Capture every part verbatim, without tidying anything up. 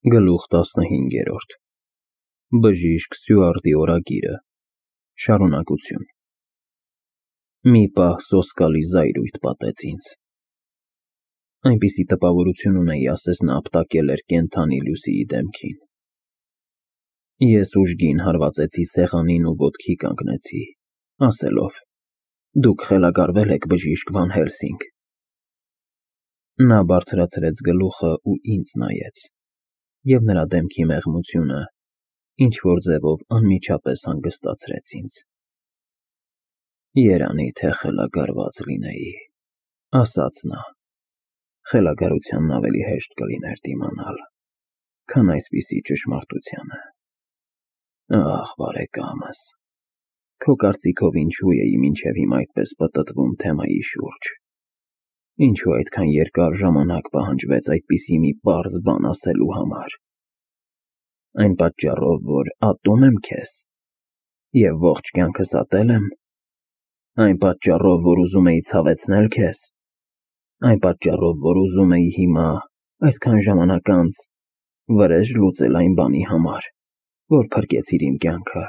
Գլուխ տասնհինգերորդ Բժիշկ Սյուարտի օրագիրը Շարունակություն Մի պահ սոսկալի զայրույթ պատեց ինձ։ Այնպիսի տպավորություն ունեի, ասես նա ապտակել էր կենդանի Լուսիի դեմքին։ Ես ուժգին հարվածեցի սեղանին ու ոտքի կանգնեցի, ասելով. «Դուք խելագարվել եք, բժիշկ Վան Հելսինգ»։ Նա բարձրացրեց գլուխը ու ինձ նայեց, և նրա դեմքի մեղմությունը ինչ-որ ձևով անմիջապես հանգստացրեց ինձ։ «Երանի թե խելագարված լինեի», ասաց նա, «խելագարությանն ավելի հեշտ կլիներ դիմանալ, քան այսպիսի ճշմարտությանը։ Ախ, բարեկամս, քո կարծիքով ինչու էի մինչև հիմա այդպես պտտվում թեմայի շուրջ, ինչու այդքան երկար ժամանակ պահանջվեց այդպիսի մի պարզ բան ասելու համար։ Այն պատճառով, որ ատում եմ քեզ և ողջ կյանքս ատել եմ, այն պատճառով, որ ուզում էի ցավեցնել քեզ, այն պատճառով, որ ուզում էի հիմա, այսքան ժամանակ անց, վրեժ լուծել այն բանի համար, որ փրկեցիր իմ կյանքը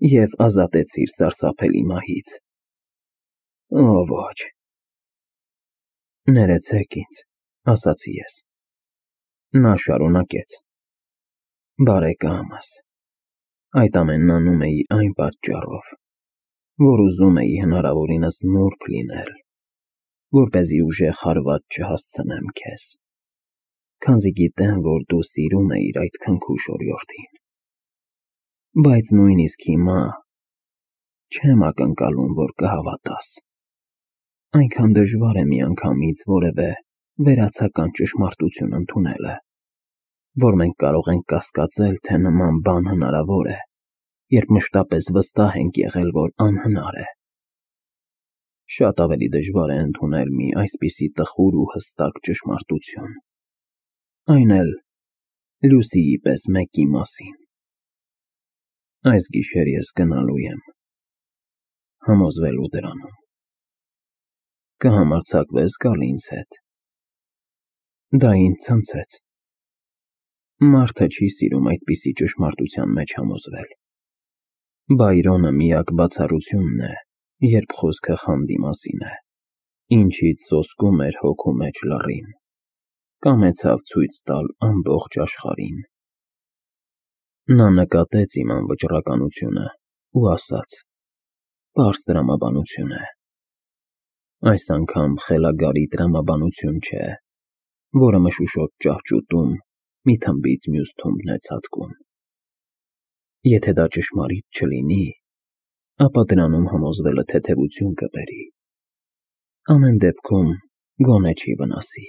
և ազատեցիր սարսափելի մահից։ Օ, ոչ»։ «Ներեցեք ինձ», ասացի ես։ Նա շարունակեց. «Բարեկամս, այդ ամենն անում էի այն պատճառով, որ ուզում էի հնարավորինս նուրբ լինել, որպեսզի ուժեղ հարված չհասցնեմ քեզ, քանզի գիտեմ, որ դու սիրում էիր այդ քնքուշ օրիորդին։ Բայց նույնիսկ հիմա չեմ ակնկալում, որ կհավատաս։ Այնքան դժվար է միանգամից որևէ վերացական ճշմարտություն ընդունելը, որ մենք կարող ենք կասկածել, թե նման բան հնարավոր է, երբ մշտապես վստահ ենք եղել, որ անհնար է։ Շատ ավելի դժվար է ընդունել մի այսպիսի տխուր ու հստակ ճշմարտություն, այն էլ Լուսիի պես մեկի մասին։ Այս գիշեր ես գնալու եմ, համոզվելու դրանում։ Կհամարձակվե՞ս գալ ինձ հետ»։ Դա ինձ ցնցեց։ Մարդը չի սիրում այդպիսի ճշմարտության մեջ համոզվել։ Բայրոնը միակ բացառությունն է, երբ խոսքը խանդի մասին է, ինչից սոսկում էր հոգու մեջ լռին, կամեցավ ցույց տալ ամբողջ աշխարհին։ Նա նկատեց իմ անվճռականությունը ու ասաց. «Պարզ տրամաբանություն է։ Այս անգամ խելագարի տրամաբանություն չէ, որը մշուշոտ ճահճուտում մի թմբից մյուս թումբն է ցատկում։ Եթե դա ճշմարիտ չլինի, ապա դրանում համոզվելը թեթևություն կբերի, ամեն դեպքում գոնե չի վնասի։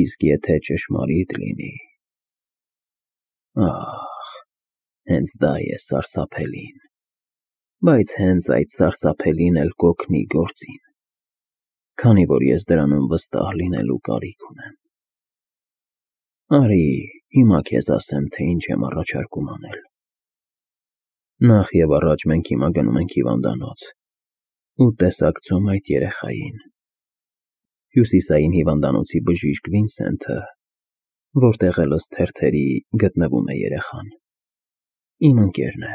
Իսկ եթե ճշմարիտ լինի… Ահ, հենց դա է սարսափելին, բայց հենց այդ սարսափելին էլ կօգնի գործին, քանի որ ես դրանում վստահ լինելու կարիք ունեմ։ Արի հիմա քեզ ասեմ, թե ինչ եմ առաջարկում անել։ Նախ և առաջ մենք հիմա գնում ենք հիվանդանոց ու տեսակցում այդ երեխային։ Հյուսիսային հիվանդանոցի բժիշկ Վինսենթը, որտեղ էլ ըստ թերթերի գտնվում է երեխան, իմ ընկերն է։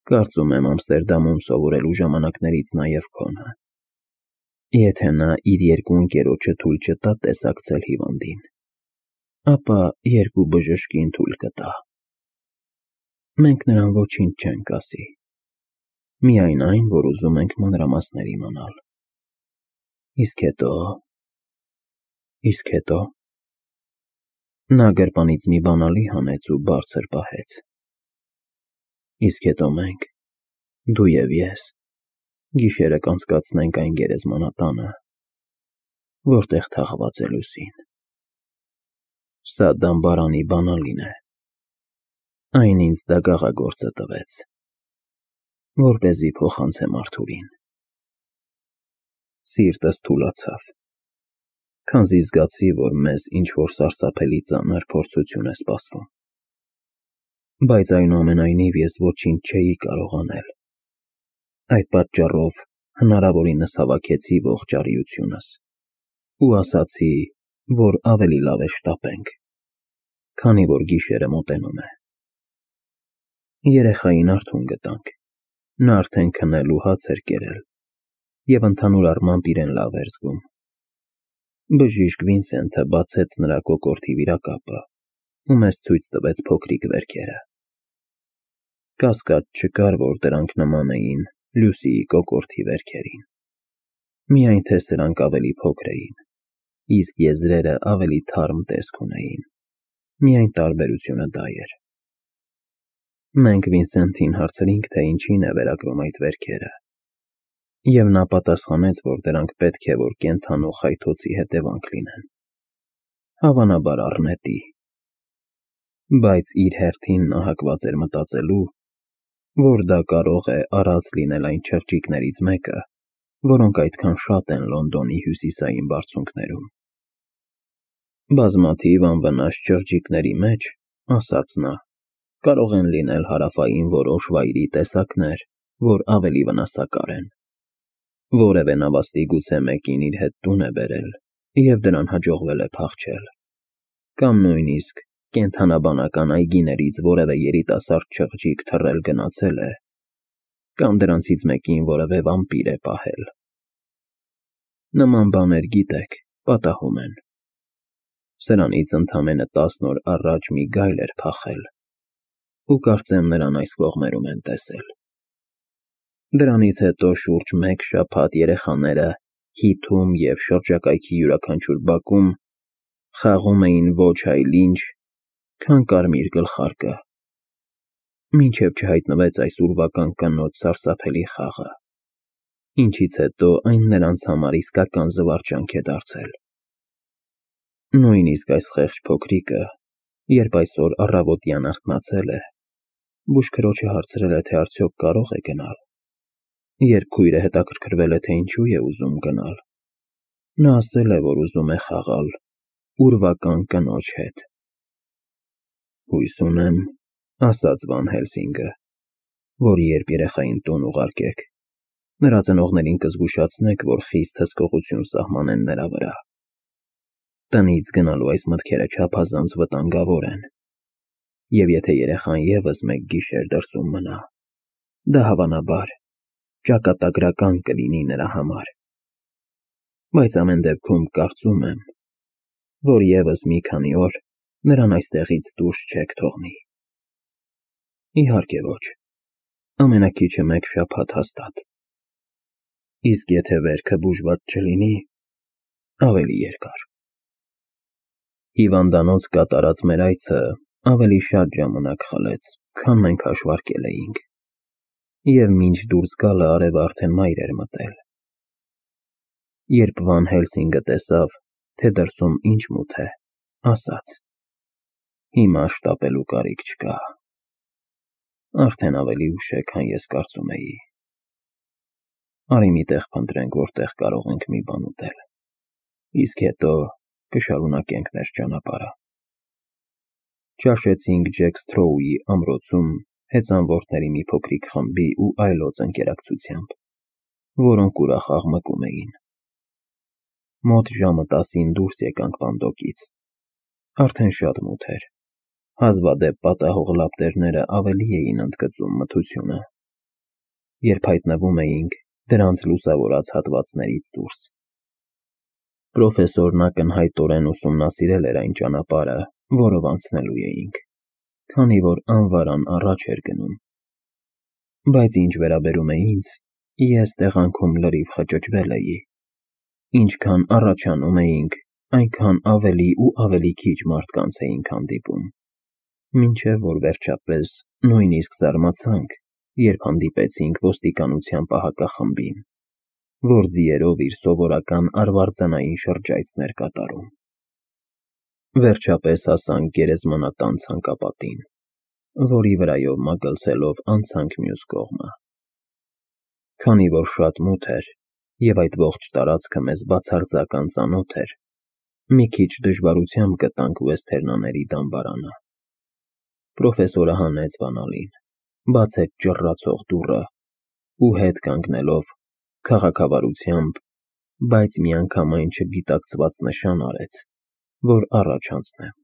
Կարծում եմ Ամստերդամում սովորելու ժամանակներից նաև քոնը։ Եթե նա իր երկու ընկերոջը թույլ չտա տեսակցել հիվանդին, ապա երկու բժշկին թույլ կտա։ Մենք նրան ոչինչ չենք ասի, միայն այն, որ ուզում ենք մանրամասներ իմանալ։ Իսկ հետո… Իսկ հետո… Նա գրպանից մի բանալի հանեց ու բարձր պահեց։ Իսկ հետո մենք, դու և ես, գիշերը կանցկացնենք այն գերեզմանատանը, որտեղ թաղված է Լուսին։ Սա դամբարանի բանալին է։ Այն ինձ դագաղագործը տվեց, որպեսզի փոխանցեմ Արթուրին։ Սիրտս թուլացավ, քանզի զգացի, որ մեզ ինչ-որ սարսափելի ծանր փորձություն է սպասվում։ Բայց այնուամենայնիվ ես ոչինչ չէի կարող անել։ Այդ պատճառով հնարավորինս հավաքեցի ողջ արիությունս ու ասացի, որ ավելի լավ է շտապենք, քանի որ գիշերը մոտենում է։ Երեխային արթուն գտանք, նա արդեն քնել ու հաց էր կերել, և ընդհանուր առմամբ իրեն լավ էր զգում։ Բժիշկ Վինսենթը բացեց նրա կոկորդի վիրակապը ու մեզ ցույց տվեց փոքրիկ վերքերը։ Կասկած չկար, որ դրանք նման էին Լուսիի կոկորդի վերքերին, միայն թե սրանք ավելի փոքր էին, իսկ եզրերը ավելի թարմ տեսք ունեին, միայն տարբերությունը դա էր։ Մենք Վինսենթին հարցրինք, թե ինչին է վերագրում այդ վերքերը, և նա պատասխանեց, որ դրանք պետք է որ կենդանու խայթոցի հետևանք լինեն, հավանաբար առնետի, բայց իր հերթին նա հակված էր մտածելու, որ դա կարող է արած լինել այն չղջիկներից մեկը, որոնք այդքան շատ են Լոնդոնի հյուսիսային բարձունքներում։ Բազմաթիվ անվնաս չղջիկների մեջ, ասաց նա, կարող են լինել հարավային որոշ վայրի տեսակներ, որ ավելի վնասակար են։ Որևէ նավաստի գուցե մեկին իր հետ տուն է բերել, և դրան հաջողվել է փախչել, կամ նույնիսկ կենդանաբանական այգիներից որևէ երիտասարդ չղջիկ թռել գնացել է, կամ դրանցից մեկին որևէ վամպիր է պահել։ Նման բաներ, գիտեք, պատահում են։ Սրանից ընդամենը տասն օր առաջ մի գայլ էր փախել, ու կարծեմ նրան այս կողմերում են տեսել։ Դրանից հետո շուրջ մեկ շաբաթ երեխաները հիթում և շրջակայքի յուրաքանչյուր բակում խաղում էին ոչ այլ ինչ, քան կարմիր գլխարկը, մինչև չհայտնվեց այս ուրվական կնոջ սարսափելի խաղը, ինչից հետո այն նրանց համար իսկական զվարճանք է դարձել։ Նույնիսկ այս խեղճ փոքրիկը, երբ այսօր առավոտյան արթնացել է, բուժքրոջը հարցրել է, թե արդյոք կարող է գնալ։ Երբ քույրը հետաքրքրվել է, թե ինչու է ուզում գնալ, նա ասել է, որ ուզում է խաղալ ուրվական կնոջ հետ։ Հույս ունեմ, ասաց Վան Հելսինգը, որ երբ երեխային տուն ուղարկեք, նրա ծնողներին կզգուշացնեք, որ խիստ հսկողություն սահմանեն նրա վրա։ Տնից գնալու այս մտքերը չափազանց վտանգավոր են, և եթե երեխան ևս մեկ գիշեր դրսում մնա, դա հավանաբար ճակատագրական կլինի նրա համար։ Բայց ամեն դեպքում կարծում եմ, որ ևս մի քանի օր նրան այստեղից դուրս չեք թողնի։ Իհարկե ոչ, ամենաքիչը մեկ շաբաթ հաստատ, իսկ եթե վերքը բուժված չլինի, ավելի երկար։ Հիվանդանոց կատարած մեր այցը ավելի շատ ժամանակ խլեց, քան մենք հաշվարկել էինք, և մինչ դուրս գալը արևը արդեն մայր էր մտել։ Երբ Վան Հելսինգը տեսավ, թե դրսում ինչ մութ է, ասաց. հիմա շտապելու կարիք չկա, արդեն ավելի ուշ է, քան ես կարծում էի։ Արի մի տեղ փնտրենք, որտեղ կարող ենք մի բան ուտել, իսկ հետո կշարունակենք մեր ճանապարհը։ Ճաշեցինք Ջեք Սթրոուի ամրոցում հեծանվորդների մի փոքրիկ խմբի ու այլոց ընկերակցությամբ, որոնք ուրախ աղմկում էին։ Մոտ ժամը տասին դուրս եկանք Պանդոկից։ Արդեն շատ մութ էր, հազվադեպ պատահող լապտերները ավելի էին ընդգծում մթությունը, երբ հայտնվում էինք դրանց լուսավորած հատվածներից դուրս։ Պրոֆեսորն ակնհայտորեն ուսումնասիրել էր այն ճանապարհը, որով անցնելու էինք, քանի որ անվարան առաջ էր գնում։ Բայց ինչ վերաբերում է ինձ, ես տեղանքում լրիվ խճճվել էի։ Ինչքան առաջանում էինք, այնքան ավելի ու ավելի քիչ մարդկանց էինք հանդիպում, մինչև որ վերջապես նույնիսկ զարմացանք, երբ հանդիպեցինք ոստիկանության պահակախմբին, որ ձիերով իր սովորական արվարձանային շրջայցն էր կատարում։ Վերջապես հասանք գերեզմանատան ցանկապատին, որի վրայով մագլցելով անցանք մյուս կողմը։ Քանի որ շատ մութ էր, և այդ ողջ տարածքը մեզ բացարձակ անծանոթ էր, մի քիչ դժվարությամբ գտանք Ուեսթերնաների դամբարանը։ Պրոֆեսորը հանեց բանալին, բացեց ճռռացող դուռը ու հետ կանգնելով քաղաքավարությամբ, բայց միանգամայն չգիտակցված նշան արեց, որ առաջ անցնեմ։